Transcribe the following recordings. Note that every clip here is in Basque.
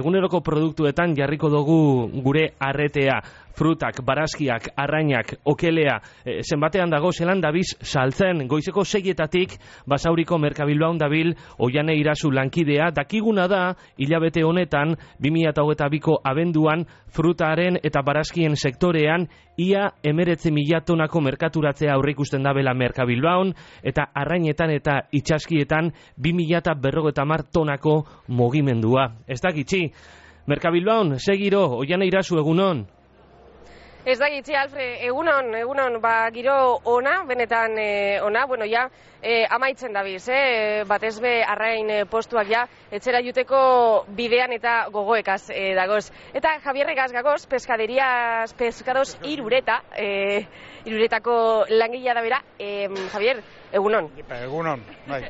eguneroko produktuetan jarriko dugu gure arretea. Frutak, barazkiak, arrainak, okelea, zenbatean dago zelan dabiz saltzen, goizeko 6:00 Basauriko Merkabilbaun dabil Oiane Irazu lankidea, dakiguna da, hilabete honetan, 2022ko abenduan, frutaren eta barazkien sektorean, ia 19.000 tonako merkaturatzea aurreikusten dabela Merkabilbaun, eta arrainetan eta itxaskietan 2.050 tonako mugimendua. Ez da gitxi, Merkabilbaun, segiro, Oiane Irazu, egunon. Ez da gitzi, Alfre, egunon, giro ona, benetan ona, bueno, ja, amaitzen dabiz, batez be arrain postuak ja, etxera juteko bidean eta gogoekaz dagoz. Eta Javierregaz gagoz, Pescados Irureta, Iruretako langilea da bera, Javier, egunon. Egunon, bai.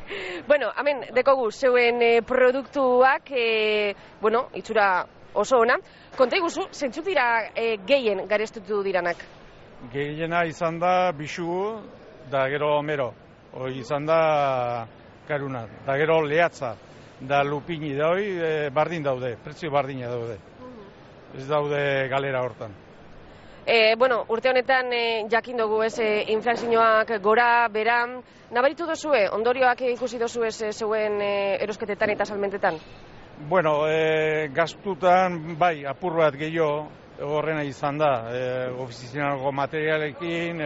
Bueno, hemen, dekogu, zeuen produktuak, bueno, itxura oso ona. Konta iguzu, zentzuk dira gehien garestutu diranak? Gehiena izan da bixu, da gero mero. Hoi izan da karuna, da gero lehatza, da lupini da hoi bardin daude, prezio bardina daude. Ez daude galera hortan. Bueno, urte honetan jakin dugu ez inflazioak gora, beran, nabaritu dozue, ondorioak ikusi dozu ez zeuen erosketetan eta salmentetan? Bueno, gastutan, bai, apur bat gehiago horrena izan da, ofizizinako materialekin,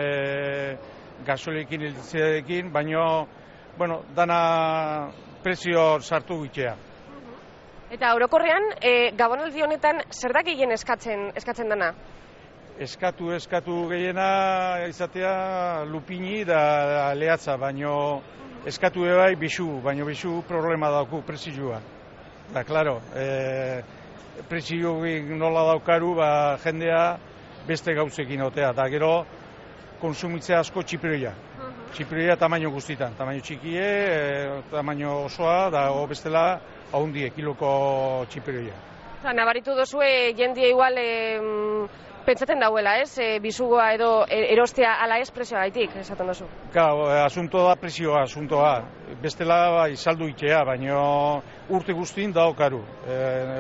gasolekin, elektrizidadekin, baina, bueno, dana prezio sartu gitea. Eta orokorrean, gabonaldi honetan, zer da gehien eskatzen dana? Eskatu gehiena izatea lupini da lehatza, baina eskatu bai bixu, baina bixu problema dauku prezioa. Da, klaro, prezioik nola daukaru, jendea beste gauzekin otea. Da, gero, konsumitzea asko txipiroia. Txipiroia tamaino guztitan. Tamaino txikie, tamaino osoa, da, bestela, ahondie, kiloko txipiroia. Nabaritu dozue, jendia igual pentsaten dauela, ez? Bizugoa edo erostea ala ez prezioa gaitik, esaten dozu? Asunto da prezioa, asuntoa. Bestela bai saldu itea, baina urte guztin dago karu.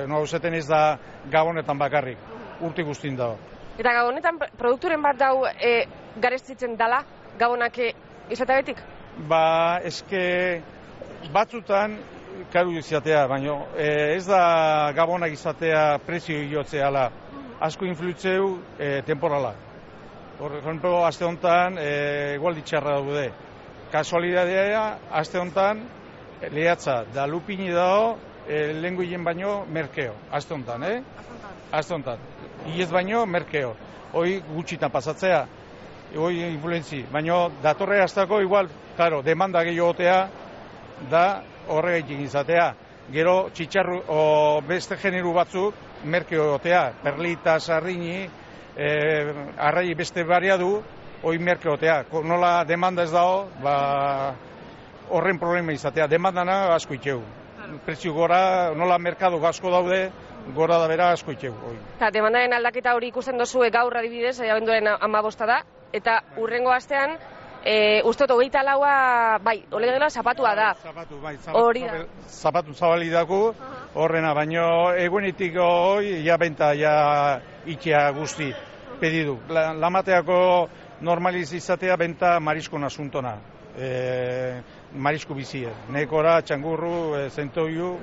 Nauzeten ez da gabonetan bakarrik, urte guztin dago. Eta gabonetan produkturen bat dau garestitzen dala, gabonak izateabetik? Eske batzutan karu izatea, baina ez da gabonak izatea prezio iotzeala. Asko influitzeu temporala. Horreko, aste honetan, igualdi txarra daude. Kasualidadea, aste honetan, lehatza, da lupini dago, lenguien baino merkeo. Aste honetan, Aste honetan. Iez baino merkeo. Hoi gutxitan pasatzea, hoi influentzi. Baino, datorre hastako igual, claro, demanda gehiogotea, da horregaitik izatea. Gero, txitxarru, beste generu batzuk, merkeo otea, perlita, sardini, arrai beste bariadu, hoi merkeo otea. Nola demanda ez dago, horren problema izatea. Demandana asko itxeu. Prezio gora, nola merkado asko daude, gora da bera asko itxeu. Demandaren aldaketa hori ikusten dozue gaur adibidez, abenduaren 15 da, eta urrengo astean, ustot 24a, bai, olegela zapatua da. Zapatu zabali dago, horrena, baino egunetik hoi, ja benta, ja itxea guzti pedidu. Lamateako normaliz izatea benta mariskon asuntona, marisko bizie, nekora, txangurru, zentoiu,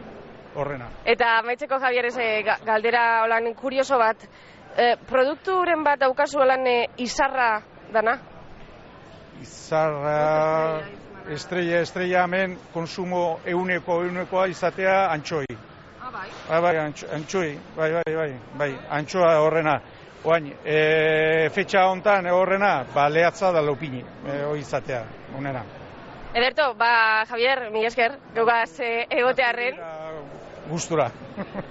horrena. Eta maitzeko Javier, galdera holan kurioso bat, produkturen bat daukazu holan izarra dana? Izarra, estrella hemen konsumo eunekoa izatea antxoi. Bai, antxoi, bai, antxoa horrena. Oain, fetxa hontan horrena, lehatza da lopini, hori izatea, honena. Ederto, Javier, mila esker, gugaz egotearren. Gustura.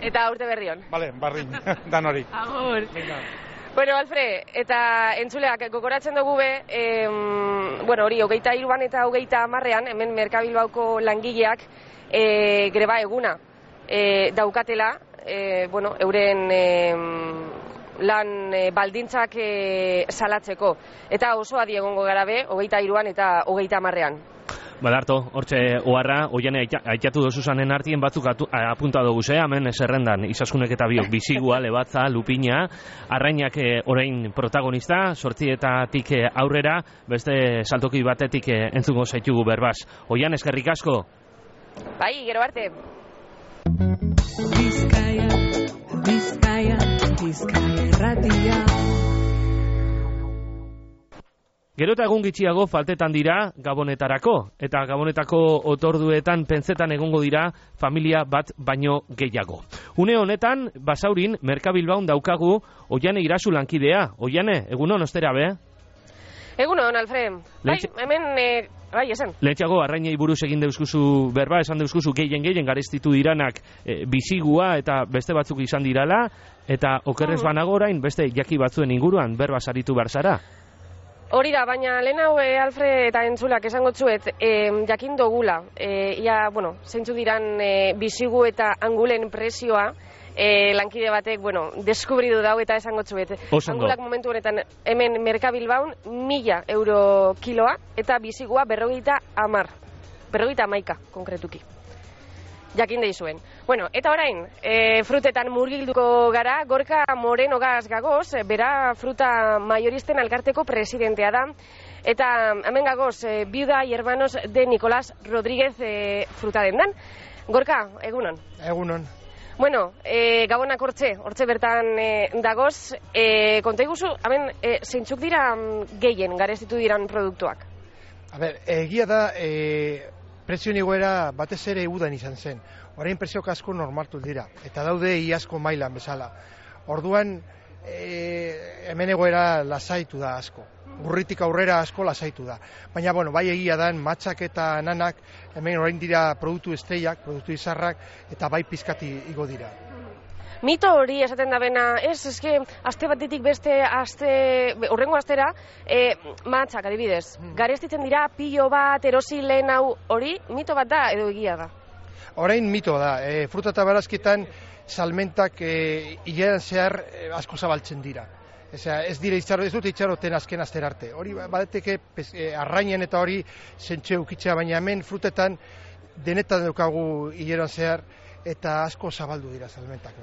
Eta urte berrion. Bale, bardin, dan hori. Agur. Bueno, Alfre, eta entzuleak gogoratzen dugu bueno, hori, 23an eta 30an, hemen Merkabilbauko langileak greba eguna daukatela, bueno, euren lan baldintzak salatzeko. Eta oso adi egongo gara 23an eta 30an. Badarto, hortxe oharra, oiane aitatu dozuzanen artien batzuk apunta dugu, hemen zerrendan, izaskunek eta biok, bizigua, lebatza, lupina, arrainak orain protagonista, 8etatik aurrera, beste saltoki batetik entzungo zaitugu berbaz. Oian, eskerrik asko. Bai, gero arte. Bizkaia, Bizkaia, Bizkaia irratia. Gero eta egun gitxiago faltetan dira Gabonetarako, eta Gabonetako otorduetan pentsetan egongo dira familia bat baino gehiago. Une honetan, Basaurin, Merkabilbaun daukagu Oiane Irasu lankidea. Oiane, egunon ostera be? Egunon, Alfred. Bai, hemen, bai, esan. Lehetxago, arrainei buruz egin deuskuzu berba, esan deuskuzu gehien garestitu diranak bizigua eta beste batzuk izan dirala, eta okerrez banago orain, beste jaki batzuen inguruan berba saritu behar zara. Hori da, baina lehen hau Alfred eta entzulak esango txuet jakin dogula. Bueno, zeintzu diran bizigu eta angulen presioa, lankide batek, bueno, deskubridu dau eta esango txuet. Angulak momentu honetan hemen Merkabilbaun 1.000 euro kiloa eta bizigua 50 konkretuki. Jakin deizuen. Bueno, eta orain, frutetan murgilduko gara, Gorka Moreno gagoz, bera fruta mayoristen elkarteko presidentea da, eta hemen gagoz, viuda y hermanos de Nicolás Rodríguez fruta dendan. Gorka, egunon? Egunon. Bueno, gabonak hortxe bertan dagoz, konta iguzu, hemen, zeintzuk dira gehien garestitu diran produktuak? A ber, egia da, prezioen igoera batez ere udan izan zen. Orain prezioak asko normaltu dira, eta daude iazko mailan bezala. Orduan, hemen egoera lasaitu da asko. Urritik aurrera asko lasaitu da. Baina, bueno, bai egia dan, matxak eta nanak, hemen orain dira produktu esteiak, produktu izarrak, eta bai pizkati igo dira. Mito hori esaten da bena, eske, aste batetik beste, horrengo astera, matxak adibidez. Garestitzen dira, pilo bat, erosi lehen hau hori, mito bat da edo egia da? Orain mito da, fruta eta barazketan salmentak hilean zehar asko zabaltzen dira. Ez dira ez dute itxaroten azken astera arte. Hori badeteke arrainen eta hori zentxe ukitzea, baina hemen frutetan denetan daukagu hilean zehar eta asko zabaldu dira salmentak.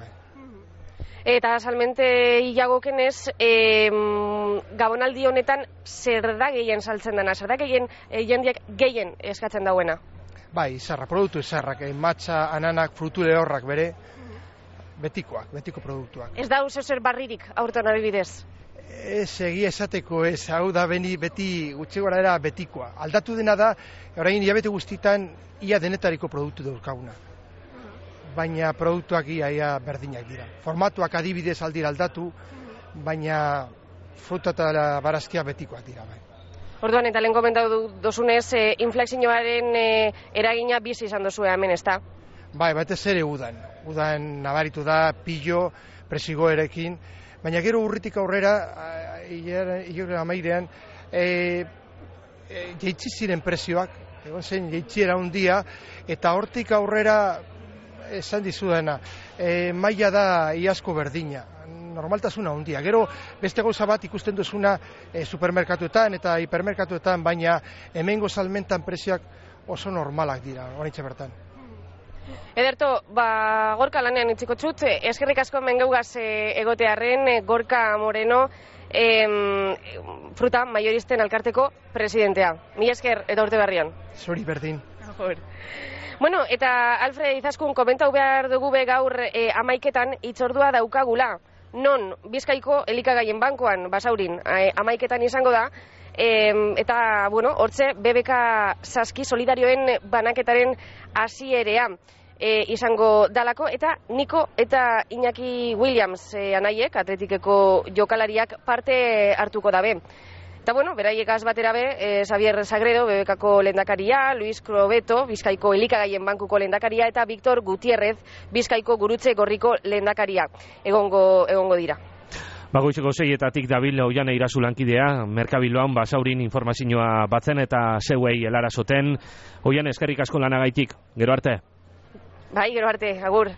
Eta salmente hilagokenez, Gabonaldi honetan zer da gehien saltzen dena, zer da jendeak gehien eskatzen dauena? Bai, izarra, produktu izarrak, matxa, ananak, frutu lehorrak bere, betiko produktuak. Ez da zer barririk aurten adibidez? Ez, egia esateko ez, hau da beti gutxi gora era betikoa. Aldatu dena da, orain hilabete guztitan ia denetariko produktu dauzkaguna. Baina produktuak ia berdinak dira. Formatuak adibidez aldira aldatu, baina fruta eta barazkia betikoak dira. Bai. Orduan, eta lehen komentatu dozunez, inflexioaren eragina bizi izan dozue hemen, ez da? Bai, batez ere udan. Udan nabaritu da, pillo, presigoerekin, baina gero urritik aurrera, hilore amairean, jeitsi ziren prezioak, egon zen jeitziera handia, eta hortik aurrera, esan dizudana, maila da iazko berdina, normaltasuna handia. Gero beste gauza bat ikusten duzuna supermerkatuetan eta hipermerkatuetan, baina hemengo salmentan prezioak oso normalak dira, oraintxe bertan. Ederto, Gorka lanean itziko txut, eskerrik asko hemen geugaz egotearren, Gorka Moreno, fruta mayoristen elkarteko presidentea. Mila esker eta urte berrian. Zuri berdin. Bueno, eta Alfred Izaskun komentau behar dugu gaur 11etan hitzordua daukagula. Non, Bizkaiko elikagaien bankuan, Basaurin, 11etan izango da, eta, bueno, hortze, BBK Saski solidarioen banaketaren hasierea izango dalako, eta Niko eta Iñaki Williams anaiek, atletikeko jokalariak parte hartuko dabe. Eta, bueno, beraiekaz batera be, Xavier Sagredo, BBKko lehendakaria, Luis Crobeto, Bizkaiko elikagaien bankuko lehendakaria, eta Victor Gutierrez, Bizkaiko gurutze gorriko lehendakaria. Egongo dira. Bagoitzeko 6etatik dabil Oiane Irasu lankidea, Merkabilbaun Basaurin informazioa batzen eta zeuei helarazoten. Oiane, eskerrik asko lanagaitik. Gero arte. Bai, gero arte, agur.